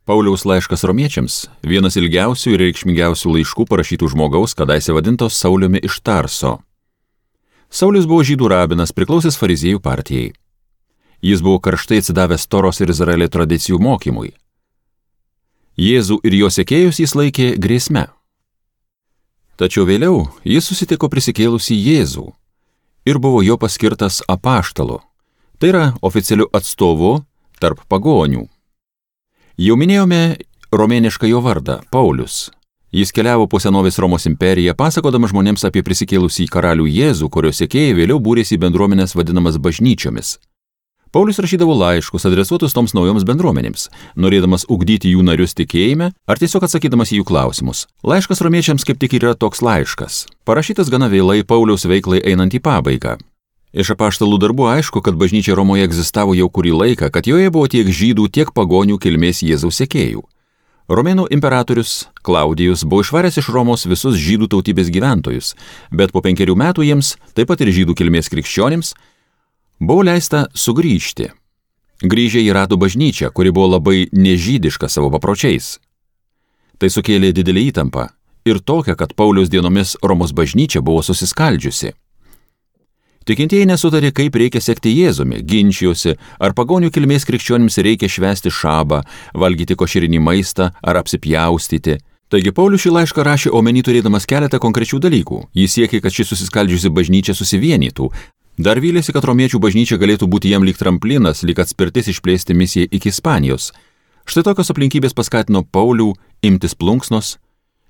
Pauliaus laiškas romiečiams – vienas ilgiausių ir reikšmingiausių laiškų parašytų žmogaus, kadaise vadintos Sauliumi iš Tarso. Saulius buvo žydų rabinas, priklausęs fariziejų partijai. Jis buvo karštai atsidavęs Toros ir Izraelio tradicijų mokymui. Jėzų ir jo sekėjus jis laikė grėsme. Tačiau vėliau jis susitiko prisikėlusį Jėzų ir buvo jo paskirtas apaštalu, tai yra oficialiu atstovu tarp pagonių. Jau minėjome romėnišką jo vardą – Paulius. Jis keliavo po senovės Romos imperiją, pasakodamas žmonėms apie prisikėlusį karalių Jėzų, kurio sekėjai vėliau būrėsi į bendruomenės vadinamas bažnyčiomis. Paulius rašydavo laiškus adresuotus toms naujoms bendruomenėms, norėdamas ugdyti jų narius tikėjime ar tiesiog atsakydamas į jų klausimus. Laiškas romiečiams kaip tik yra toks laiškas, parašytas gana vėlai Pauliaus veiklai einant į pabaigą. Iš apaštalų darbų aišku, kad bažnyčia Romoje egzistavo jau kurį laiką, kad joje buvo tiek žydų, tiek pagonių kilmės Jėzaus sekėjų. Romėnų imperatorius Klaudijus buvo išvaręs iš Romos visus žydų tautybės gyventojus, bet po 5 metų jiems, taip pat ir žydų kilmės krikščionims, buvo leista sugrįžti. Grįžę jie rado bažnyčią, kuri buvo labai nežydiška savo papročiais. Tai sukėlė didelį įtampą ir tokią, kad Pauliaus dienomis Romos bažnyčia buvo susiskaldžiusi. Tikintieji nesutarė, kaip reikia sekti Jėzumi, ginčijosi, ar pagonių kilmės krikščionims reikia švęsti šabą, valgyti košerinį maistą ar apsipjaustyti. Taigi Paulius šį laišką rašė omeny turėdamas keletą konkrečių dalykų. Jis siekė, kad ši susiskaldžiusi bažnyčia susivienytų. Dar vylėsi, kad romiečių bažnyčia galėtų būti jam lyg tramplinas, lyg atspirtis išplėsti misiją iki Ispanijos. Štai tokios aplinkybės paskatino Paulių imtis plunksnos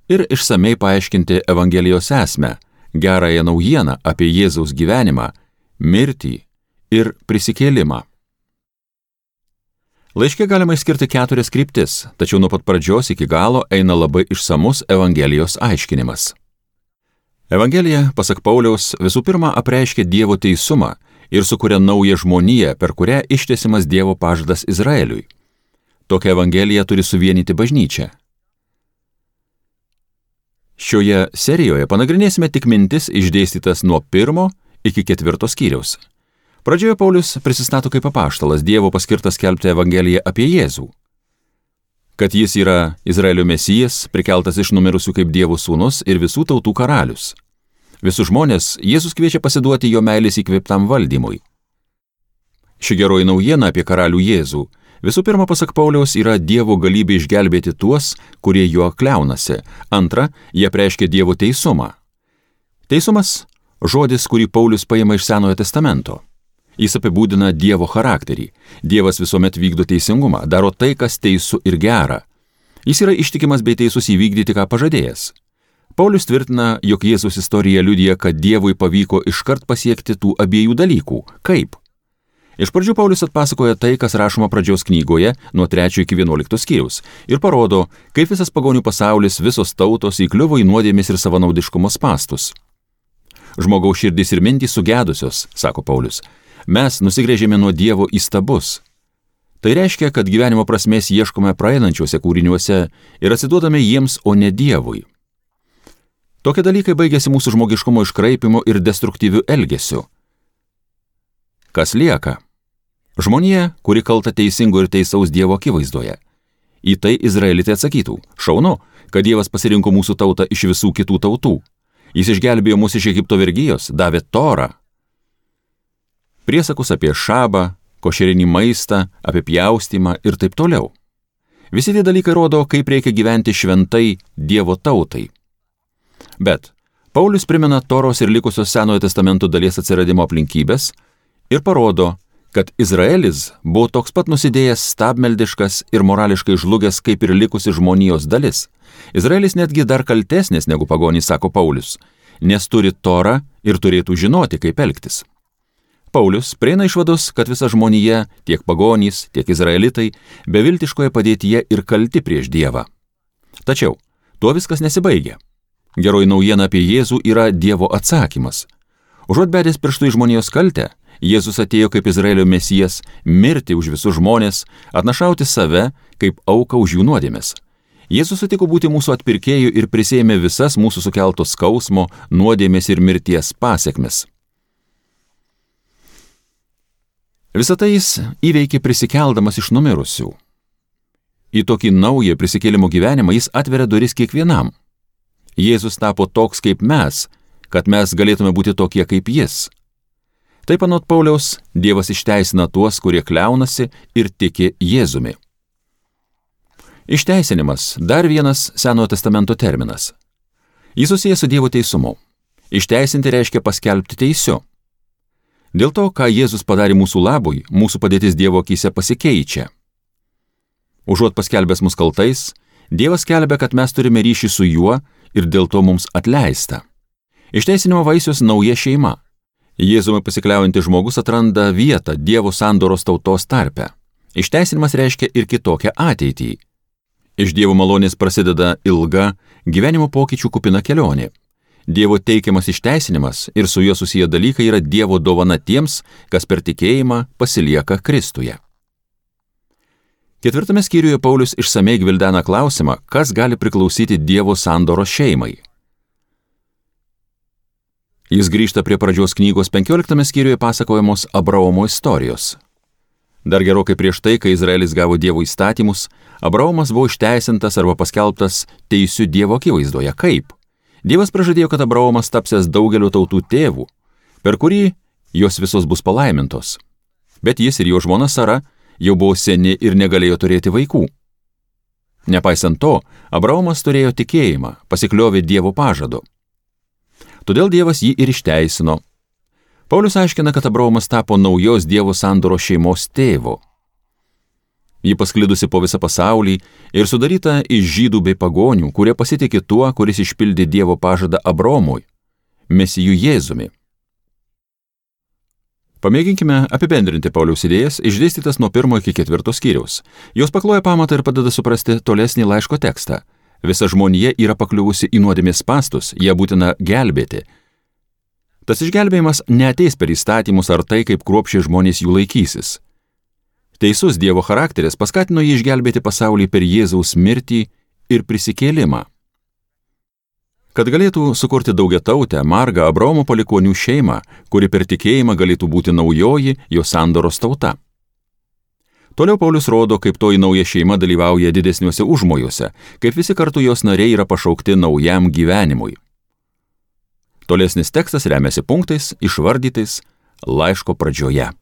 ir išsamei paaiškinti Evangelijos esmę, gerąją naujieną apie Jėzaus gyvenimą, mirtį ir prisikėlimą. Laiške galima išskirti 4 kryptis, tačiau nuo pat pradžios iki galo eina labai išsamus Evangelijos aiškinimas. Evangelija, pasak Pauliaus, visų pirma apreiškia Dievo teisumą ir sukuria naują žmoniją, per kurią ištiesimas Dievo pažadas Izraeliui. Tokia Evangelija turi suvienyti bažnyčią. Šioje serijoje panagrinėsime tik mintis išdėstytas nuo 1 iki 4 skyriaus. Pradžioje Paulius prisistato kaip apaštalas, Dievo paskirtas skelbti Evangeliją apie Jėzų. Kad jis yra Izraelio mesijas, prikeltas iš numirusių kaip Dievo sūnus ir visų tautų karalius. Visus žmonės Jėzus kviečia pasiduoti jo meilės įkvėptam valdymui. Ši geroji naujiena apie karalių Jėzų visų pirma, pasak Pauliaus, yra Dievo galybė išgelbėti tuos, kurie juo kliaunasi. Antra, jie reiškia Dievo teisumą. Teisumas – žodis, kurį Paulius paima iš Senojo testamento. Jis apibūdina Dievo charakterį. Dievas visuomet vykdo teisingumą, daro tai, kas teisų ir gera. Jis yra ištikimas bei teisus įvykdyti, ką pažadėjęs. Paulius tvirtina, jog Jėzaus istorija liudija, kad Dievui pavyko iškart pasiekti tų abiejų dalykų. Kaip? Iš pradžių Paulius atpasakoja tai, kas rašoma pradžios knygoje nuo 3 iki 11 skyriaus ir parodo, kaip visas pagonių pasaulis, visos tautos įkliuvo į nuodėmės ir savanaudiškumo spastus. Žmogaus širdys ir mintys sugedusios, sako Paulius. Mes nusigręžėme nuo Dievo į stabus. Tai reiškia, kad gyvenimo prasmės ieškome praeinančiuose kūriniuose ir atsiduodame jiems, o ne Dievui. Tokie dalykai baigėsi mūsų žmogiškumo iškraipimo ir destruktyvių elgesių. Kas lieka? Žmonija, kuri kalta teisingo ir teisaus Dievo akivaizdoje. Į tai izraelitai atsakytų: šaunu, kad Dievas pasirinko mūsų tautą iš visų kitų tautų. Jis išgelbėjo mus iš Egipto vergijos, davė Torą. Priesakus apie šabą, košerinį maistą, apie pjaustymą ir taip toliau. Visi tie dalykai rodo, kaip reikia gyventi šventai Dievo tautai. Bet Paulius primena Toros ir likusios Senojo testamento dalies atsiradimo aplinkybės ir parodo, kad Izraelis buvo toks pat nusidėjęs, stabmeldiškas ir morališkai žlugęs kaip ir likusi žmonijos dalis. Izraelis netgi dar kaltesnis negu pagonys, sako Paulius, nes turi Torą ir turėtų žinoti, kaip elgtis. Paulius prieina išvados, kad visa žmonija, tiek pagonys, tiek izraelitai, beviltiškoje padėtyje ir kalti prieš Dievą. Tačiau tuo viskas nesibaigia. Geroji naujiena apie Jėzų yra Dievo atsakymas. Užuot bedęs pirštų į žmonijos kaltę, Jėzus atėjo kaip Izraelio mesijas mirti už visus žmonės, atnašauti save kaip auką už jų nuodėmes. Jėzus sutiko būti mūsų atpirkėju ir prisėmė visas mūsų sukeltos skausmo, nuodėmės ir mirties pasekmes. Visą tai jis įveikė prisikeldamas iš numirusių. į tokį naują prisikėlimo gyvenimą jis atveria duris kiekvienam. Jėzus tapo toks kaip mes, kad mes galėtume būti tokie kaip jis. Taip anot Pauliaus, Dievas išteisina tuos, kurie kliaunasi ir tiki Jėzumi. Išteisinimas – dar vienas Senojo testamento terminas. Jis susijęs su Dievo teisumu. Išteisinti reiškia paskelbti teisiu. Dėl to, ką Jėzus padarė mūsų labui, mūsų padėtis Dievo akyse pasikeičia. Užuot paskelbęs mus kaltais, Dievas skelbia, kad mes turime ryšį su juo ir dėl to mums atleista. Išteisinimo vaisius nauja šeima. Jėzumi pasikliaujantis žmogus atranda vietą Dievo sandoros tautos tarpe. Išteisinimas reiškia ir kitokią ateitį. Iš Dievo malonės prasideda ilga, gyvenimo pokyčių kupina kelionė. Dievo teikiamas išteisinimas ir su juo susiję dalykai yra Dievo dovana tiems, kas per tikėjimą pasilieka Kristuje. 4 skyriuje Paulius išsamei gvildena klausimą, kas gali priklausyti Dievo sandoros šeimai. Jis grįžta prie pradžios knygos 15 skyriuje pasakojamos Abraomo istorijos. Dar gerokai prieš tai, kai Izraelis gavo Dievo įstatymus, Abraomas buvo išteisintas arba paskelbtas teisiu Dievo akivaizdoje. Kaip? Dievas pražadėjo, kad Abraomas tapsės daugelio tautų tėvų, per kurį jos visos bus palaimintos. Bet jis ir jo žmona Sara jau buvo seni ir negalėjo turėti vaikų. Nepaisant to, Abraomas turėjo tikėjimą, pasikliovė Dievo pažadu. Todėl Dievas jį ir išteisino. Paulius aiškina, kad Abraomas tapo naujos Dievo sandoros šeimos tėvu. Ji pasklidusi po visą pasaulį ir sudaryta iš žydų bei pagonių, kurie pasitikė tuo, kuris išpildė Dievo pažadą Abraomui, Mesiju Jėzumi. Pamėginkime apibendrinti Pauliaus idėjas, išdėstytas nuo 1 iki 4 skyriaus. Jos pakloja pamatą ir padeda suprasti tolesnį laiško tekstą. Visa žmonija yra pakliuvusi į nuodėmės spąstus, ją būtina gelbėti. Tas išgelbėjimas neateis per įstatymus ar tai, kaip kruopščiai žmonės jų laikysis. Teisus Dievo charakteris paskatino jį išgelbėti pasaulį per Jėzaus mirtį ir prisikėlimą. Kad galėtų sukurti daugiatautę, margą Abraomo palikuonių šeimą, kuri per tikėjimą galėtų būti naujoji jo sandoros tauta. Toliau Paulius rodo, kaip toji nauja šeima dalyvauja didesniuose užmojuose, kaip visi kartu jos nariai yra pašaukti naujam gyvenimui. Tolesnis tekstas remiasi punktais išvardytais laiško pradžioje.